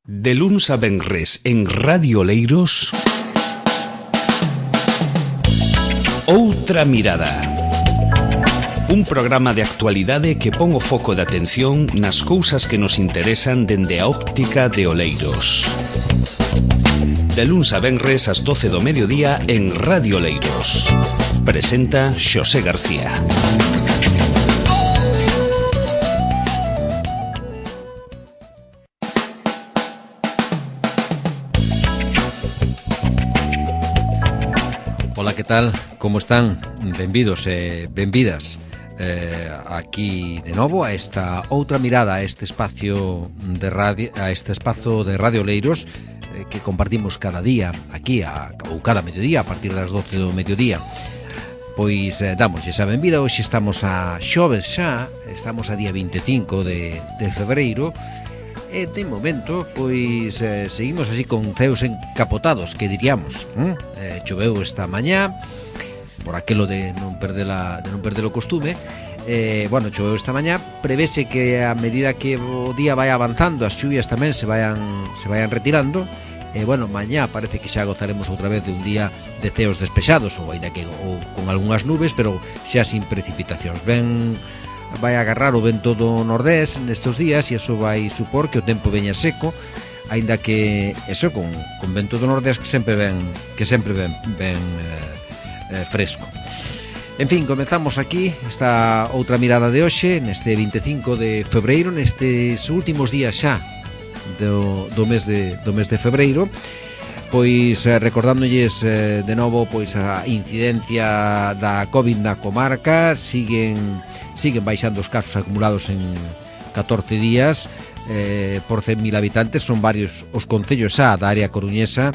De luns a venres en Radio Oleiros, Outra Mirada. Un programa de actualidade que pon o foco de atención nas cousas que nos interesan dende a óptica de Oleiros. De luns a venres ás 12 do mediodía en Radio Oleiros. Presenta Xosé García. Ola, que tal? Como están? Benvidos e benvidas aquí de novo a esta outra mirada, a este espacio de radio, Oleiros que compartimos cada día aquí ou cada mediodía a partir das 12 do mediodía. Pois damos esa benvida. Hoxe estamos a xoves xa, estamos a día 25 de febreiro. E de momento, pois, seguimos así con ceos encapotados, que diríamos. Choveu esta mañá, por aquelo de non perder o costume. Bueno, choveu esta mañá. Prevese que a medida que o día vai avanzando, as chuvias tamén se vayan retirando. Bueno, mañá parece que xa gozaremos outra vez de un día de ceos despexados, ou ainda que con algunhas nubes, pero xa sin precipitacións. Vai agarrar o vento do nordés nestes días e iso vai supor que o tempo veña seco, aínda que eso con vento do nordés que sempre ven fresco. En fin, comezamos aquí esta outra mirada de hoxe, neste 25 de febreiro, nestes últimos días xa do mes de febreiro. Pois recordándolles de novo pois a incidencia da COVID na comarca. Siguen baixando os casos acumulados en 14 días por 100.000 habitantes. Son varios os concellos xa da área coruñesa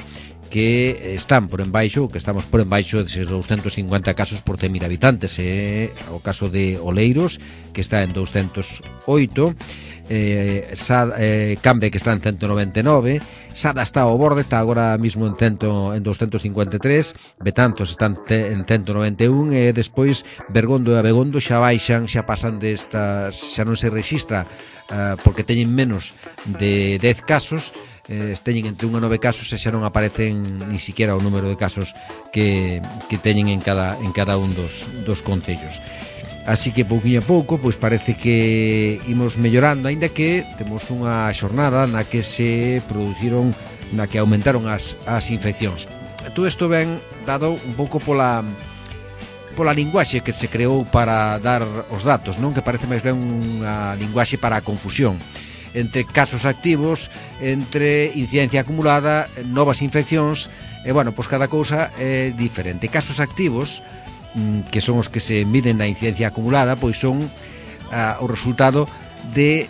que están por embaixo, que estamos por embaixo deses 250 casos por 100.000 habitantes. O caso de Oleiros, que está en 208, Cambre, que está en 199, Sada está ao borde, está agora mismo en 253, Betanzos está en 191 e despois Bergondo e Abegondo xa baixan, xa pasan destas, xa non se rexistra porque teñen menos de 10 casos. Teñen entre 1 e 9 casos e xa non aparecen ni siquiera o número de casos que teñen en cada un dos concellos. Así que pouquinho a pouco pois parece que imos mellorando, aínda que temos unha xornada na que aumentaron as infeccións. Todo isto ben dado un pouco pola linguaxe que se creou para dar os datos, non? Que parece máis ben unha linguaxe para a confusión entre casos activos, entre incidencia acumulada, novas infeccións, e bueno, pois cada cousa é diferente. Casos activos, que son os que se miden na incidencia acumulada, pois son o resultado de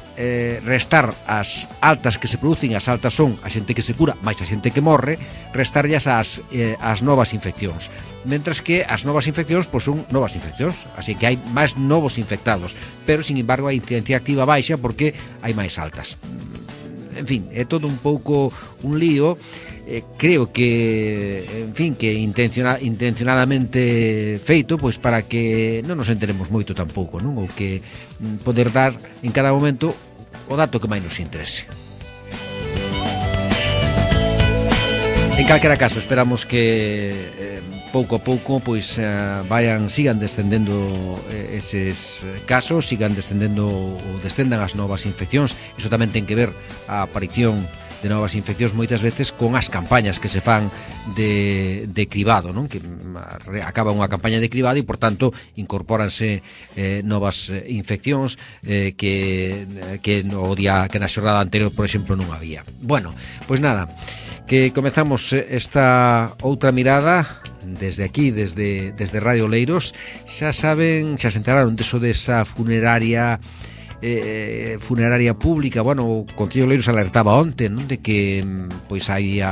restar as altas que se producen. As altas son a xente que se cura máis a xente que morre, restarllas as novas infeccións, mentras que as novas infeccións pois son novas infeccións, así que hai máis novos infectados, pero sin embargo a incidencia activa baixa porque hai máis altas. En fin, é todo un pouco un lío. Creo que, en fin, que intencionadamente feito, pois para que non nos enteremos moito tampouco, non? Ou que poder dar en cada momento o dato que máis nos interese. En calquera caso, esperamos que pouco a pouco pois sigan descendendo eses casos, sigan descendendo ou descendan as novas infeccións. Iso tamén ten que ver a aparición de novas infeccións moitas veces con as campañas que se fan de cribado, non? Que acaba unha campaña de cribado e, por tanto, incorpóranse novas infeccións que na xornada anterior, por exemplo, non había. Bueno, pois nada, que comezamos esta outra mirada desde aquí, desde Radio Oleiros. Xa saben, xa se enteraron desa funeraria pública. Bueno, o Concello de Oleiros alertaba onte, non? De que pois hai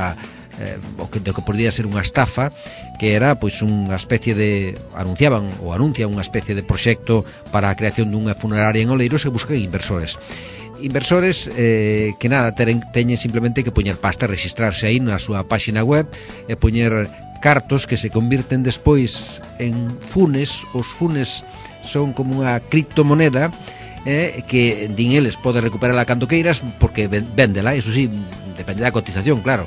o que podría ser unha estafa, que era pois unha especie de anuncian unha especie de proxecto para a creación dunha funeraria en Oleiros e buscan inversores que nada, teñen simplemente que poñer pasta, registrarse aí na súa páxina web e poñer cartos que se convirten despois en funes. Os funes son como unha criptomoneda que din eles pode recuperarla cando queiras porque véndela, eso sí, depende da cotización, claro,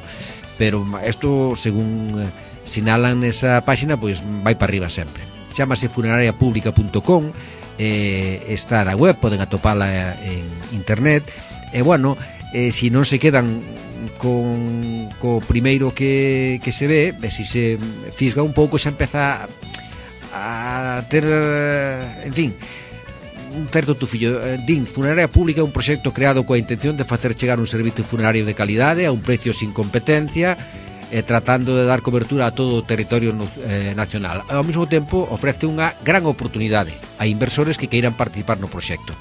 pero isto según sinalan nesa páxina, pois vai para arriba sempre. Chámase funerariapublica.com, está na web, poden atopala en internet, e bueno, se non se quedan co primeiro que se ve, se se fisga un pouco, xa empeza a ter, en fin, un certo tufillo. Din, Funeraria Pública é un proxecto creado coa intención de facer chegar un servicio funerario de calidade a un precio sin competencia, tratando de dar cobertura a todo o territorio nacional. Ao mesmo tempo ofrece unha gran oportunidade a inversores que queiran participar no proxecto.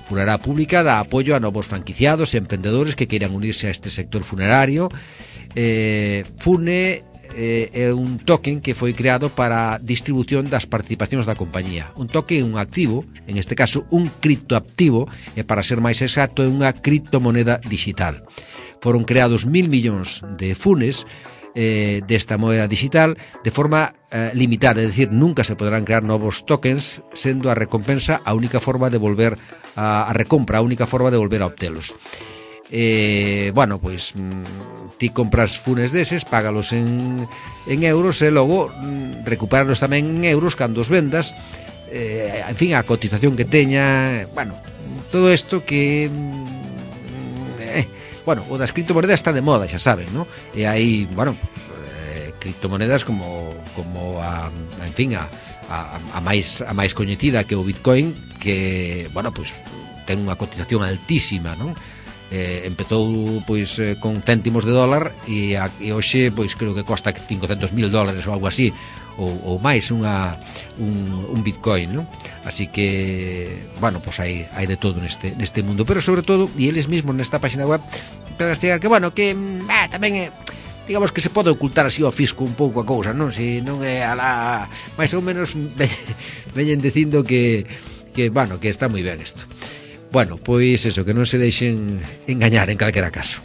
Funeraria Pública dá apoio a novos franquiciados e emprendedores que queiran unirse a este sector funerario. Fune é un token que foi creado para a distribución das participacións da compañía. Un token é un activo, en este caso un criptoactivo, e para ser máis exacto é unha criptomoneda digital. Foron creados 1.000 millóns de funes desta moneda digital de forma limitada, é dicir, nunca se poderán crear novos tokens, sendo a recompensa a única forma de volver a recompra, a única forma de volver a obtelos. Bueno, pois ti compras funes deses, págalos en euros e logo recuperalos tamén en euros cando os vendas, en fin, a cotización que teña, bueno, todo isto que bueno, o das criptomonedas está de moda, xa saben, ¿no? E hai, bueno, pues, criptomonedas como en fin, a máis coñecida que o Bitcoin, que, bueno, pues ten unha cotización altísima, non? Empezou pois con céntimos de dólar e hoxe pois creo que costa $500,000 ou algo así, ou máis un Bitcoin, non? Así que, bueno, pois hai de todo neste mundo, pero sobre todo, e eles mesmos nesta página web para explicar que, bueno, que tamén é, digamos que se pode ocultar así ao fisco un pouco a cousa, non? Se non é a la máis ou menos veñen dicindo que bueno, que está moi ben isto. Bueno, pois eso, que non se deixen engañar en calquera caso.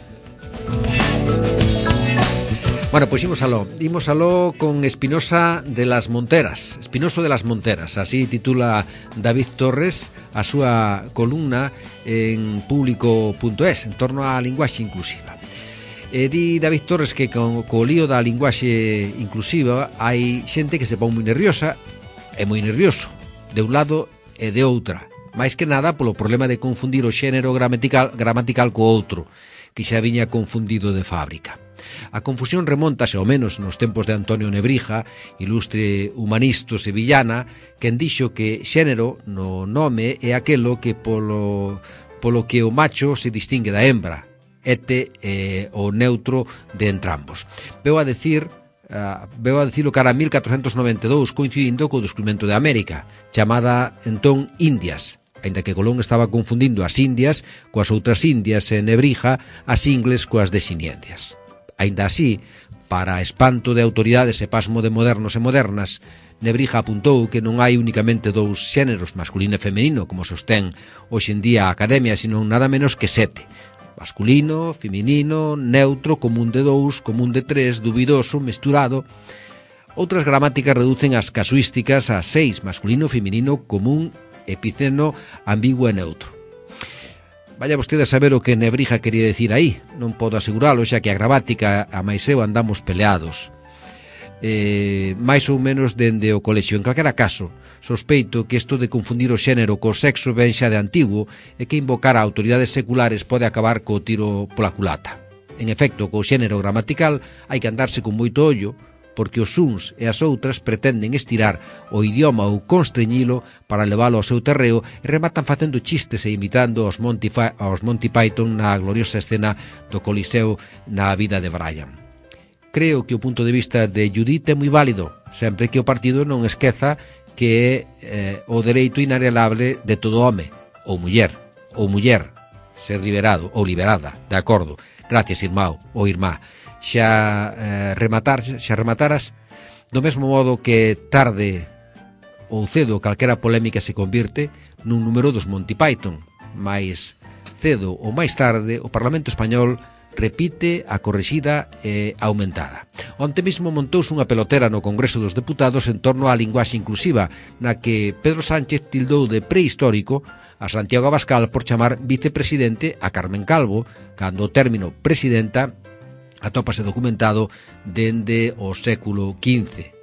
Bueno, pois imos aló con Espinoso de las Monteras, así titula David Torres a súa columna en público.es en torno á linguaxe inclusiva. Di David Torres que co lío da linguaxe inclusiva hai xente que se pon moi nerviosa e moi nervioso, de un lado e de outra, máis que nada polo problema de confundir o xénero gramatical co outro, que xa viña confundido de fábrica. A confusión remontase ao menos nos tempos de Antonio Nebrija, ilustre humanista sevillana, quen dixo que xénero no nome é aquelo que polo que o macho se distingue da hembra, o neutro de entrambos. Veu a dicilo cara a 1492, coincidindo co descubrimento de América, chamada entón Indias, aínda que Colón estaba confundindo as Indias coas outras Indias e Nebrija as ingles coas desindias. Aínda así, para espanto de autoridades e pasmo de modernos e modernas, Nebrija apuntou que non hai únicamente dous xéneros, masculino e femenino, como sostén hoxe en día a Academia, sino nada menos que 7. Masculino, feminino, neutro, común de 2, común de 3, dubidoso, mesturado. Outras gramáticas reducen as casuísticas a 6, masculino, feminino, común, epiceno, ambiguo e neutro. Vaya vostede a saber o que Nebrija quería decir aí, non podo aseguralo, xa que a gramática a máis eu andamos peleados. máis ou menos dende o colexio. En calquera caso, sospeito que isto de confundir o xénero co sexo ben xa de antigo e que invocar a autoridades seculares pode acabar co tiro pola culata. En efecto, co xénero gramatical hai que andarse con moito ollo, porque os uns e as outras pretenden estirar o idioma ou constreñilo para leválo ao seu terreo e rematan facendo chistes e imitando aos Monty Python na gloriosa escena do Coliseo na vida de Brian. Creo que o punto de vista de Judith é moi válido, sempre que o partido non esqueza que é o dereito inalienable de todo home, ou muller, ser liberado ou liberada, de acordo. Gracias, irmão ou irmá. Xa remataras, do mesmo modo que tarde ou cedo calquera polémica se convirte nun número dos Monty Python, máis cedo ou máis tarde, o Parlamento Español repite a corrixida e aumentada. Onte mesmo montouse unha pelotera no Congreso dos Deputados en torno á linguaxe inclusiva, na que Pedro Sánchez tildou de prehistórico a Santiago Abascal por chamar vicepresidente a Carmen Calvo, cando o término presidenta atópase documentado dende o século XV.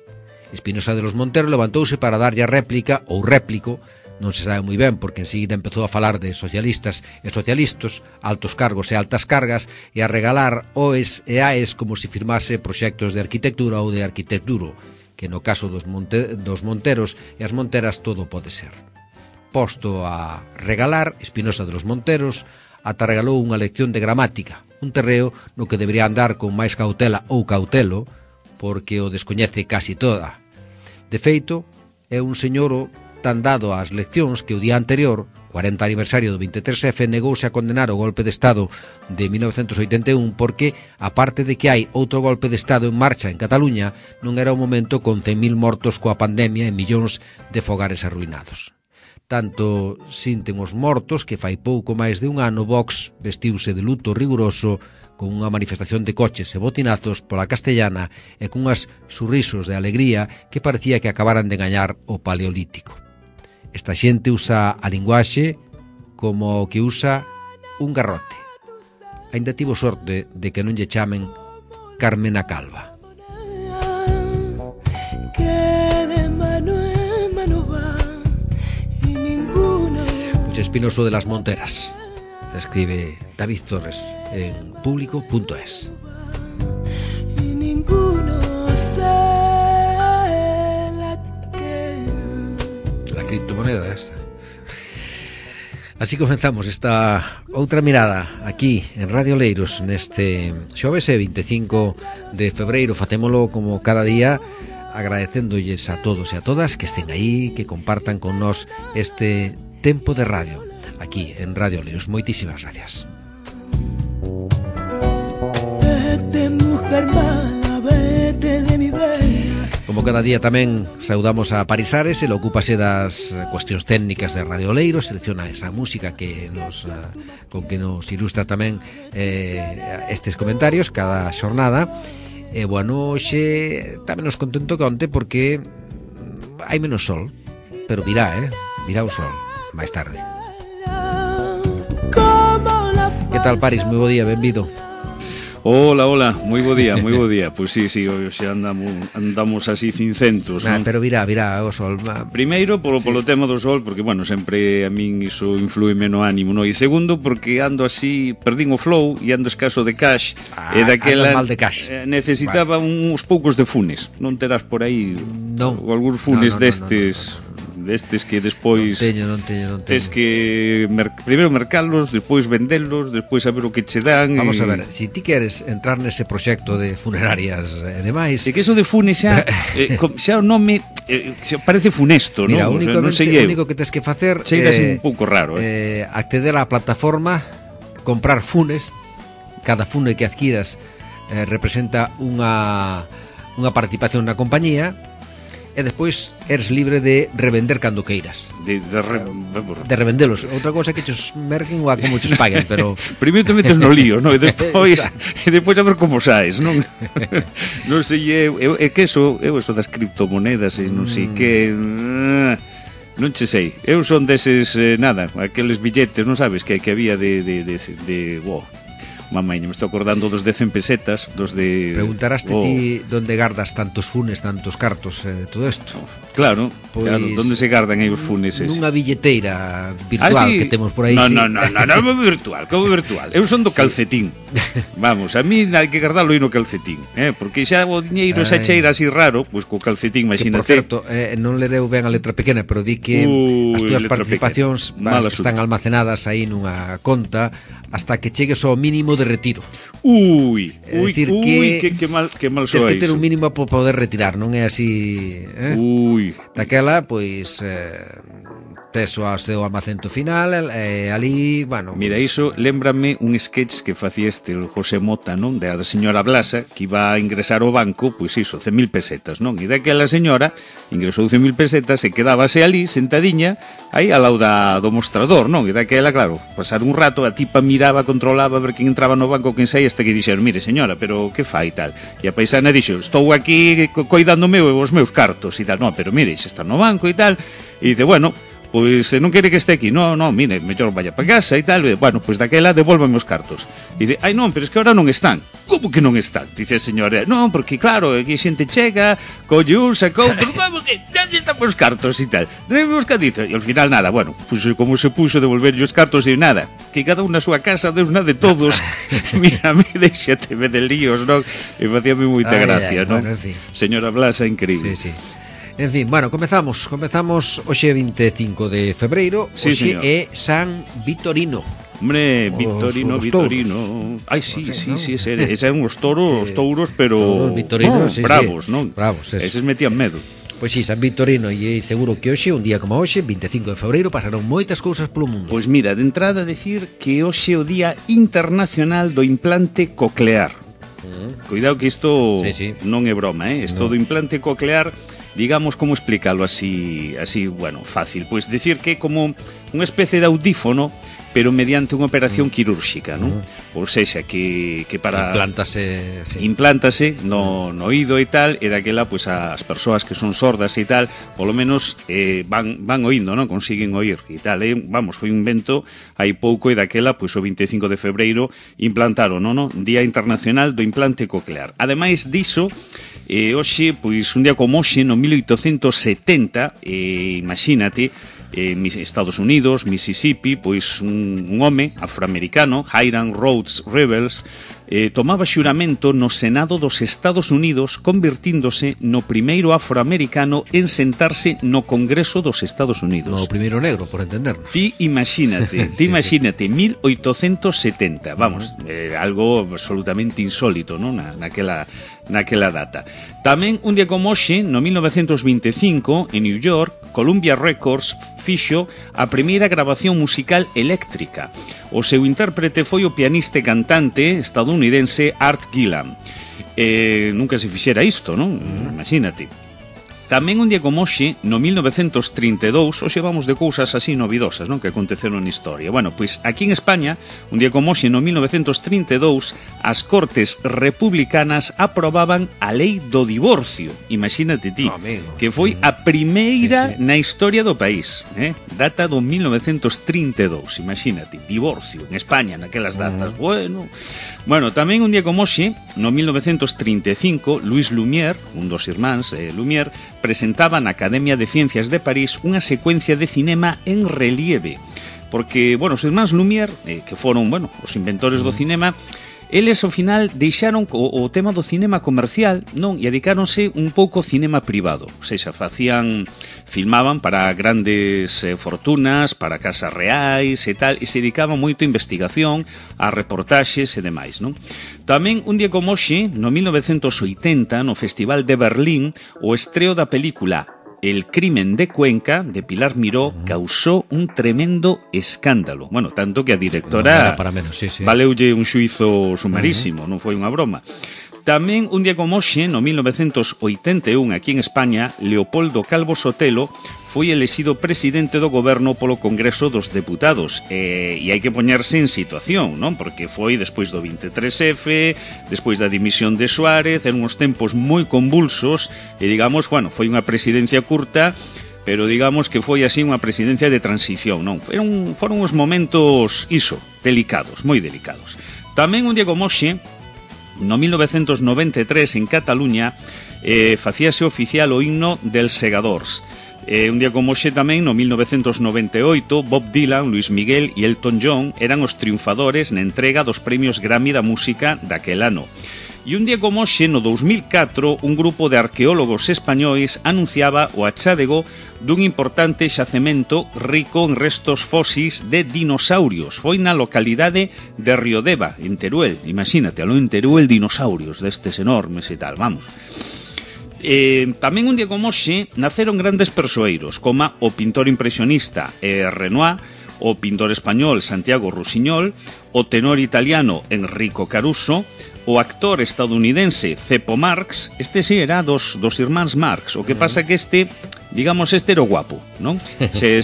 Espinosa de los Monteros levantouse para darlle a réplica ou réplico, non se sabe moi ben porque enseguida empezou a falar de socialistas e socialistas, altos cargos e altas cargas, e a regalar OES e AES como se firmase proxectos de arquitectura ou de arquitecturo, que no caso dos Monteros e as Monteras todo pode ser. Posto a regalar, Espinosa de los Monteros ata regalou unha lección de gramática, un terreo no que debería andar con máis cautela ou cautelo, porque o descoñece casi toda. De feito, é un señoro tan dado ás leccións que o día anterior, 40 aniversario do 23F, negouse a condenar o golpe de Estado de 1981 porque, aparte de que hai outro golpe de Estado en marcha en Cataluña, non era o momento con 100.000 mortos coa pandemia e millóns de fogares arruinados. Tanto sinten os mortos que fai pouco máis de un ano Vox vestiuse de luto riguroso con unha manifestación de coches e botinazos pola Castellana e cunhas sorrisos de alegría que parecía que acabaran de gañar o Paleolítico. Esta xente usa a linguaxe como o que usa un garrote. Ainda tivo sorte de que non lle chamen Carmena Calva. Pois Espinoso de las Monteras, escribe David Torres en público.es. Criptomoneda esta. Así comenzamos esta outra mirada aquí en Radio Oleiros neste xoves 25 de febreiro. Facémolo como cada día agradecéndolles a todos e a todas que estén aí, que compartan con nós este tempo de radio aquí en Radio Oleiros. Moitísimas gracias. Vete, mujer mala, vete de mi bella. Como cada día tamén saudamos a Paris Ares, ele ocúpase das cuestións técnicas de Radio Oleiros, selecciona esa música que nos con que nos ilustra tamén estes comentarios cada xornada. E bueno, hoxe tamén nos contento que onte porque hai menos sol, pero virá o sol máis tarde. Que tal, Paris? Moi bo día, benvido. Hola, moi bo día. Pois sí, hoxe andamos así cincentos, non? Pero virá o sol. Primeiro, polo tema do sol, porque, bueno, sempre a min iso influime no ánimo, non? E segundo, porque ando así, perdín o flow e ando escaso de cash. E daquela mal de cash. Necesitaba uns poucos de funes. Non terás por aí algúns funes destes... destes que despois non teño. Tes que primeiro mercalos, despois vendelos, despois saber o que che dan. Vamos a ver, se ti queres entrar nese proxecto de funerarias e demais, e que eso de funes xa xa o nome xa parece funesto, mira, non? Mira, o único que tes que facer é un pouco raro, acceder á plataforma, comprar funes. Cada fune que adquiras representa unha participación na compañía. E despois eres libre de revender cando queiras. De revendelos. Outra cosa que chos merquen ou a como chos paguen, pero... Primeiro te metes no lío, non? E depois a ver como saes, non? Non sei, é que eso das criptomonedas e non sei que... Non che sei. Eu son deses, aqueles billetes, non sabes, que había de Mamaña, me estou acordando dos de 100 pesetas, dos de... Preguntaraste ti donde gardas tantos funes, tantos cartos, todo isto? Claro, donde se gardan aí os funes ese? Nunha billeteira virtual que temos por aí. Non, virtual, como virtual. Eu son do calcetín. Vamos, a mí hai que guardalo aí no calcetín, porque xa o diñeiro xa cheira así raro, pois co calcetín, imagínate. Que, por certo, non lereu ben a letra pequena, pero di que as túas participacións están almacenadas aí nunha conta hasta que chegues ao mínimo de retiro. Que mal soa iso. Tens que ter un mínimo para poder retirar, non é así, Ui. Daquela, pois tes o seu almacento final, ali, bueno... Mira, iso lémbrame un sketch que facía el José Mota, non? Da señora Blasa, que iba a ingresar ao banco, pois iso, 100.000 pesetas, non? E daquela señora ingresou 100.000 pesetas e quedábase ali, sentadiña, aí ao lado do mostrador, non? E daquela, claro, pasar un rato, a tipa miraba, controlaba a ver quen entraba no banco, quen saía, hasta que dixeron, mire, señora, pero que fai tal? E a paisana dixo, estou aquí coidándome os meus cartos e tal. No, pero mire, se está no banco e tal. E dice, bueno, pois non quere que este aquí. No, mire, mellor vaya para casa e tal. Bueno, pois daquela devólvame os cartos. Dice, ai non, pero es que ahora non están. Como que non están? Dice a señora, non, porque claro, aquí xente chega, colle un, saca outro, vamos que ya están os cartos e tal. Debe buscar, dice, e ao final nada, bueno, pois como se puxo devolver os cartos e nada, que cada un na súa casa, Deus na de todos. Mira, deixateme de líos, non? E facíame moita gracia, non? Bueno, en fin. Señora Blasa, increíble. Sí. En fin, bueno, comezamos hoxe 25 de febreiro, sí, hoxe señor. é San Vitorino. Hombre, Vitorino. Ai, sí, ese eran os touros, pero Vitorinos, bravos, non? Bravos, eso. Eses metían medo. Pois sí, San Vitorino, e seguro que hoxe, un día como hoxe, 25 de febreiro, pasaron moitas cousas polo mundo. Pois mira, de entrada decir que hoxe é o Día Internacional do Implante Coclear. Cuidado que isto non é broma, Isto do implante coclear, digamos, como explicarlo así, bueno, fácil. Pois decir que é como unha especie de audífono, pero mediante unha operación quirúrxica, non? Ou sexa, que para... Implántase no oído e tal, e daquela, pois, as persoas que son sordas e tal, polo menos van oíndo, non? Consiguen oír e tal, vamos, foi un invento hai pouco, e daquela, pois, o 25 de febreiro implantaron, non? Día Internacional do Implante Coclear. Ademais diso, hoxe, pois, un día como hoxe, no 1870, imagínate, Estados Unidos, Mississippi, pois un home afroamericano, Hiram Rhodes Rebels, tomaba xuramento no Senado dos Estados Unidos, convirtíndose no primeiro afroamericano en sentarse no Congreso dos Estados Unidos. No primeiro negro, por entendernos. Ti imagínate, 1870, vamos, algo absolutamente insólito, non? Naquela data. Tamén, un día como hoxe, no 1925, en New York, Columbia Records fixo a primeira grabación musical eléctrica. O seu intérprete foi o pianista e cantante estadounidense Art Gillan. Nunca se fixera isto, non? Imagínate. Tamén un día como hoxe, no 1932, hoxe vamos de cousas así novidosas, non? Que aconteceron na historia. Bueno, pois aquí en España, un día como hoxe, no 1932, as Cortes Republicanas aprobaban a lei do divorcio. Imagínate ti, que foi a primeira na historia do país, data do 1932, imagínate, divorcio en España naquelas datas. Bueno, tamén un día como hoxe, no 1935, Louis Lumière, un dos irmáns Lumière, presentaba na Academia de Ciencias de París unha secuencia de cinema en relieve. Porque, bueno, os irmáns Lumière, que foron, bueno, os inventores do cinema, eles ao final deixaron o tema do cinema comercial, non, e dedicáronse un pouco ao cinema privado. Ou seja, filmaban para grandes fortunas, para casas reais e tal, e se dedicaban moito a investigación, a reportaxes e demais, non? Tamén, un día como hoxe, no 1980, no Festival de Berlín, o estreo da película El crimen de Cuenca, de Pilar Miró, causó un tremendo escándalo. Bueno, tanto que a directora valeulle un xuízo sumarísimo, non foi unha broma. Tamén, un día como hoxe, no 1981, aquí en España, Leopoldo Calvo Sotelo foi elexido presidente do goberno polo Congreso dos Deputados. E hai que poñerse en situación, non? Porque foi despois do 23F, despois da dimisión de Suárez, en uns tempos moi convulsos, e digamos, bueno, foi unha presidencia curta, pero digamos que foi así unha presidencia de transición, non? Foron uns momentos, delicados, moi delicados. Tamén, un día como hoxe, no 1993, en Cataluña, facíase oficial o himno dels Segadors. Un día como hoxe tamén, no 1998, Bob Dylan, Luis Miguel e Elton John eran os triunfadores na entrega dos premios Grammy da música daquel ano. E un día como hoxe, no 2004, un grupo de arqueólogos españois anunciaba o achádego dun importante xacemento rico en restos fósis de dinosaurios. Foi na localidade de Riodeva, en Teruel. Imagínate, en Teruel, dinosaurios destes enormes e tal, vamos. Tamén un día como hoxe naceron grandes persoeiros, como o pintor impresionista Renoir, o pintor español Santiago Rusiñol, o tenor italiano Enrico Caruso, o actor estadounidense Cepo Marx. Este sí era dos irmáns Marx. O que pasa que este era o guapo, non?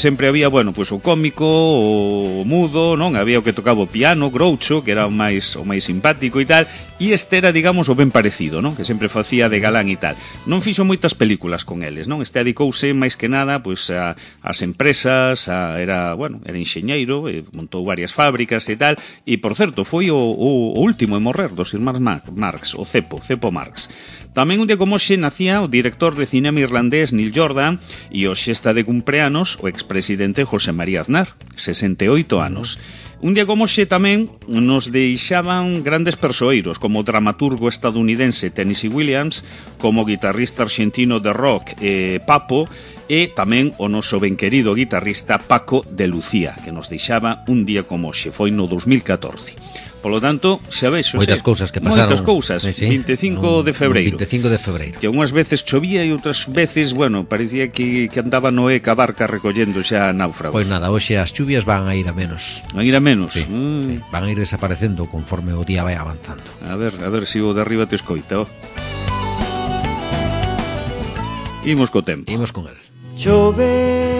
Sempre había, bueno, pues o cómico, o mudo, non? Había o que tocaba o piano, Groucho, que era o máis simpático e tal, e este era, digamos, o ben parecido, non? Que sempre facía de galán e tal. Non fixo moitas películas con eles, non? Este dedicouse máis que nada, pues, ás empresas, era enxeñeiro, montou varias fábricas e tal, e, por certo, foi o último en morrer dos irmáns Marx, o Cepo Marx. Tamén un día como hoxe nacía o director de cinema irlandés Neil Jordan e hoxe está de cumpleanos o expresidente José María Aznar, 68 anos. Un día como hoxe tamén nos deixaban grandes persoeiros, como o dramaturgo estadounidense Tennessee Williams, como o guitarrista argentino de rock Papo, e tamén o noso ben querido guitarrista Paco de Lucía, que nos deixaba un día como hoxe, foi no 2014. Polo tanto, xa vexo, moitas cousas que pasaron. Moitas cousas, sí. 25 de febreiro. 25 de febreiro. Que unhas veces chovía e outras veces, bueno, parecía que andaba Noé ca barca recollendo xa náufragos. Pois nada, hoxe as chuvias van a ir a menos. Van a ir a menos? Sí, sí. Van a ir desaparecendo conforme o día vai avanzando. A ver se o de arriba te escoita, Imos co tempo. Imos con el. Chove.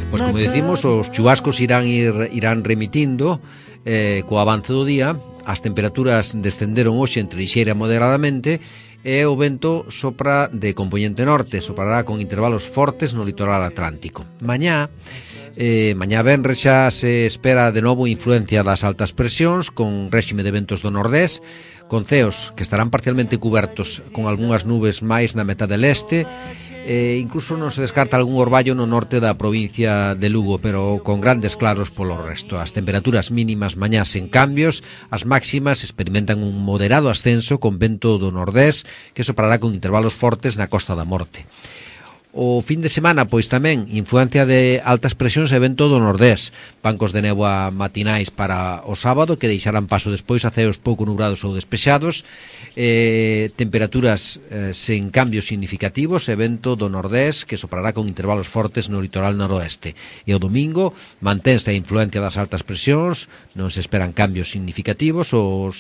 Pois como decimos, os chubascos irán remitindo co avance do día. As temperaturas descenderon hoxe entre lixeira e moderadamente e o vento sopra de compoñente norte, soprará con intervalos fortes no litoral atlántico. Mañá venres xa se espera de novo influencia das altas presións con réxime de ventos do nordés, con ceos que estarán parcialmente cubertos con algunhas nubes máis na metade leste. Incluso non se descarta algún orballo no norte da provincia de Lugo, pero con grandes claros polo resto. As temperaturas mínimas mañá sen cambios, as máximas experimentan un moderado ascenso con vento do nordés que soprará con intervalos fortes na Costa da Morte. O fin de semana, pois tamén, influencia de altas presións e vento do nordés. Bancos de néboa matinais para o sábado, que deixarán paso despois a ceos pouco nubrados ou despexados. Temperaturas sen cambios significativos e vento do nordés, que soprará con intervalos fortes no litoral noroeste. E o domingo, mantense a influencia das altas presións, non se esperan cambios significativos, o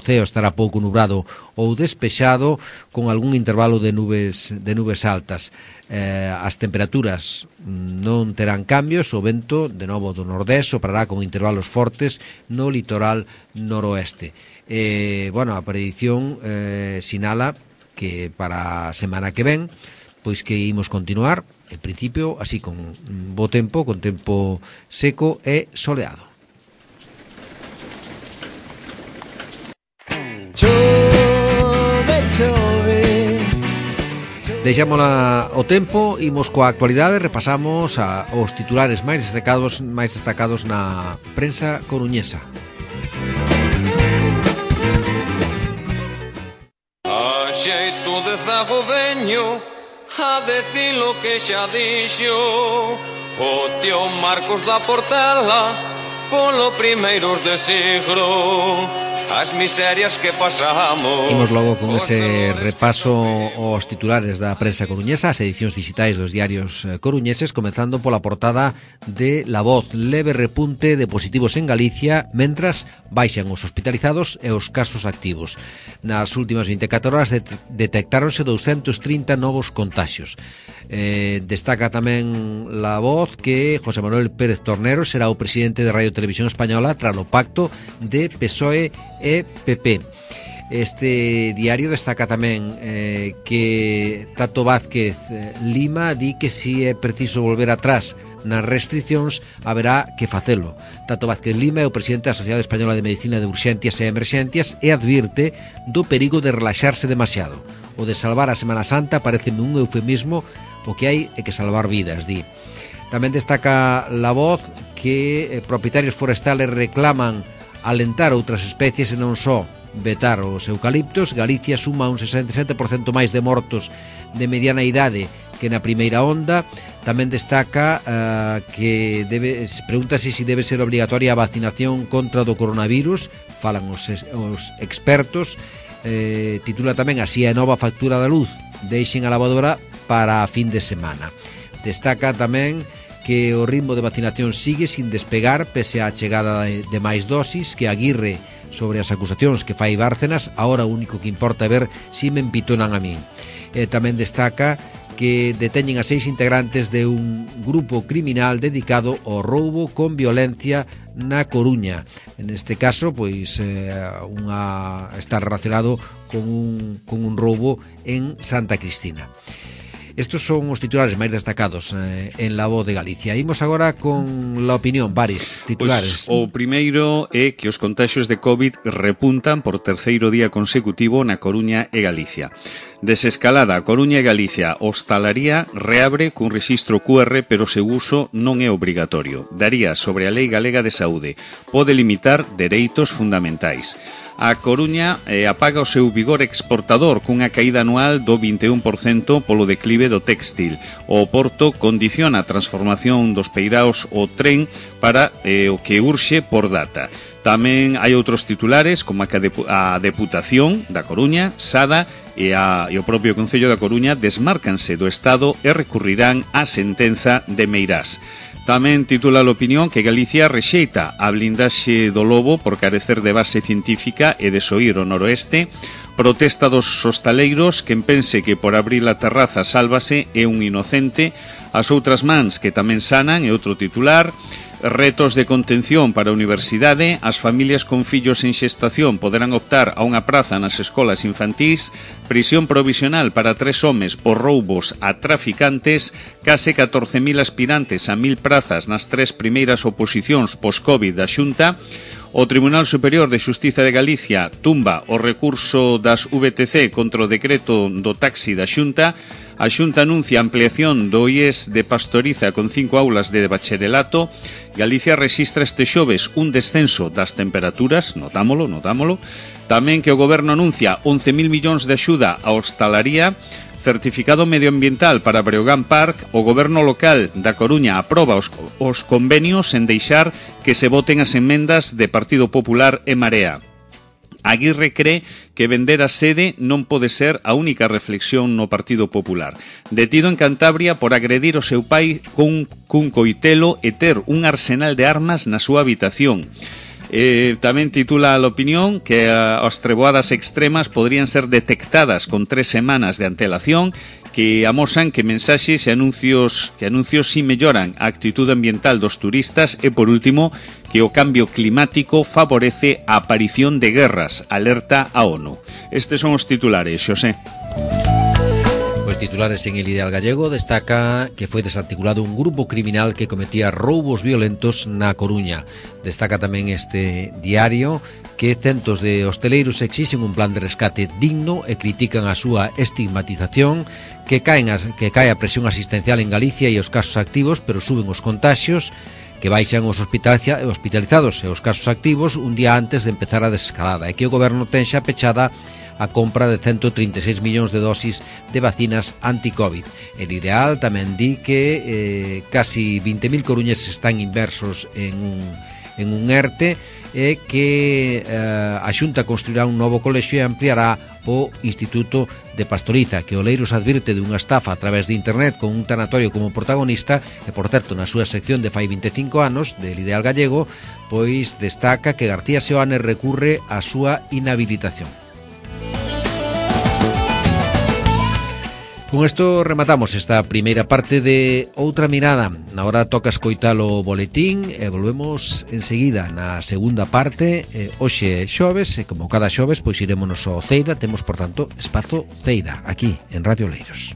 ceo estará pouco nubrado ou despexado, con algún intervalo de nubes altas. As temperaturas non terán cambios, o vento de novo do nordés soprará con intervalos fortes no litoral noroeste. A predición sinala que para a semana que ven pois que imos continuar en principio así con bo tempo, con tempo seco e soleado. Deixámola o tempo, imos coa actualidade, repasamos os titulares máis destacados na prensa coruñesa. A xeito de zago veño a decir lo que xa dixo o tío Marcos da Portela polo primeiros de siglo. As miserias que pasamos. Imos logo con ese repaso aos titulares da prensa coruñesa, as edicións digitais dos diarios coruñeses, comezando pola portada de La Voz. Leve repunte de positivos en Galicia, mentras baixan os hospitalizados e os casos activos. Nas últimas 24 horas detectáronse 230 novos contaxios. Destaca tamén La Voz que José Manuel Pérez Tornero será o presidente de Radio Televisión Española tras o pacto de PSOE e PP. Este diario destaca tamén que Tato Vázquez Lima di que si é preciso volver atrás nas restriccións haberá que facelo. Tato Vázquez Lima é o presidente da Sociedade Española de Medicina de Urxencias e Emerxencias e advirte do perigo de relaxarse demasiado. O de salvar a Semana Santa pareceme un eufemismo, o que hai é que salvar vidas, di. Tamén destaca La Voz que propietarios forestales reclaman alentar outras especies e non só vetar os eucaliptos. Galicia suma un 67% máis de mortos de mediana idade que na primeira onda. Tamén destaca que pregúntase se debe ser obligatoria a vacinación contra do coronavirus, falan os expertos. titula tamén así a nova factura da luz, deixen a lavadora para a fin de semana. Destaca tamén que o ritmo de vacinación sigue sin despegar pese á chegada de máis dosis, que Aguirre sobre as acusacións que fai Bárcenas, agora o único que importa é ver si me empitonan a min. Tamén destaca que deteñen a 6 integrantes de un grupo criminal dedicado ao roubo con violencia na Coruña. En este caso, pois está relacionado con un roubo en Santa Cristina. Estos son os titulares máis destacados en La Voz de Galicia. Imos agora con La Opinión, Baris, titulares. Pues, o primeiro é que os contaxios de COVID repuntan por terceiro día consecutivo na Coruña e Galicia. Desescalada, Coruña e Galicia, hostalaría reabre cun rexistro QR, pero o seu uso non é obrigatorio. Daría sobre a Lei Galega de Saúde. Pode limitar dereitos fundamentais. A Coruña apaga o seu vigor exportador cunha caída anual do 21% polo declive do textil. O Porto condiciona a transformación dos peiraos ao tren para o que urxe por data. Tamén hai outros titulares como a Deputación da Coruña, Sada e o propio Concello da Coruña desmárcanse do Estado e recurrirán á sentenza de Meirás. Tamén titula a Opinión que Galicia rexeita a blindaxe do lobo por carecer de base científica e desoír o noroeste. Protesta dos hostaleiros, quen pense que por abrir a terraza sálvase é un inocente. As outras mans que tamén sanan é outro titular. Retos de contención para a universidade. As familias con fillos en xestación poderán optar a unha praza nas escolas infantís. Prisión provisional para 3 homes por roubos a traficantes. Case 14.000 aspirantes a 1.000 prazas nas 3 primeiras oposicións pos-Covid da Xunta. O Tribunal Superior de Xustiza de Galicia tumba o recurso das VTC contra o decreto do taxi da Xunta. A Xunta anuncia a ampliación do IES de Pastoriza con 5 aulas de bacharelato. Galicia rexistra este xoves un descenso das temperaturas, notámolo. Tamén que o Goberno anuncia 11.000 millóns de axuda á hostalaría. Certificado medioambiental para Breogán Park. O Goberno local da Coruña aproba os convenios en deixar que se voten as emendas de Partido Popular e Marea. Aguirre cree que vender a sede non pode ser a única reflexión no Partido Popular. Detido en Cantabria por agredir o seu pai cun coitelo e ter un arsenal de armas na súa habitación. Tamén titula a Opinión que as treboadas extremas podrían ser detectadas con 3 semanas de antelación, que amosan que mensaxes e anuncios si melloran a actitude ambiental dos turistas e, por último, que o cambio climático favorece a aparición de guerras, alerta a ONU. Estes son os titulares, Xosé. Os titulares en El Ideal Gallego destaca que foi desarticulado un grupo criminal que cometía roubos violentos na Coruña. Destaca tamén este diario que centos de hosteleiros exixen un plan de rescate digno e critican a súa estigmatización, que cae a presión asistencial en Galicia e os casos activos, pero suben os contaxios, que baixan os hospitalizados e os casos activos un día antes de empezar a desescalada, e que o Goberno ten xa pechada a compra de 136 millóns de dosis de vacinas anti-Covid. El Ideal tamén di que casi 20.000 coruñeses están inversos en un ERTE e que a Xunta construirá un novo colexio e ampliará o Instituto de Pastoriza, que Oleiros advirte de unha estafa a través de internet con un tanatorio como protagonista e, por certo, na súa sección de fai 25 anos del Ideal Gallego, pois destaca que García Seoane recurre á súa inhabilitación. Con isto rematamos esta primeira parte de Outra Mirada. Agora toca escoitar o boletín e volvemos enseguida na segunda parte. Hoxe xoves, e como cada xoves, pois irémonos ao Ceida. Temos, por tanto, espazo Ceida, aquí, en Radio Oleiros.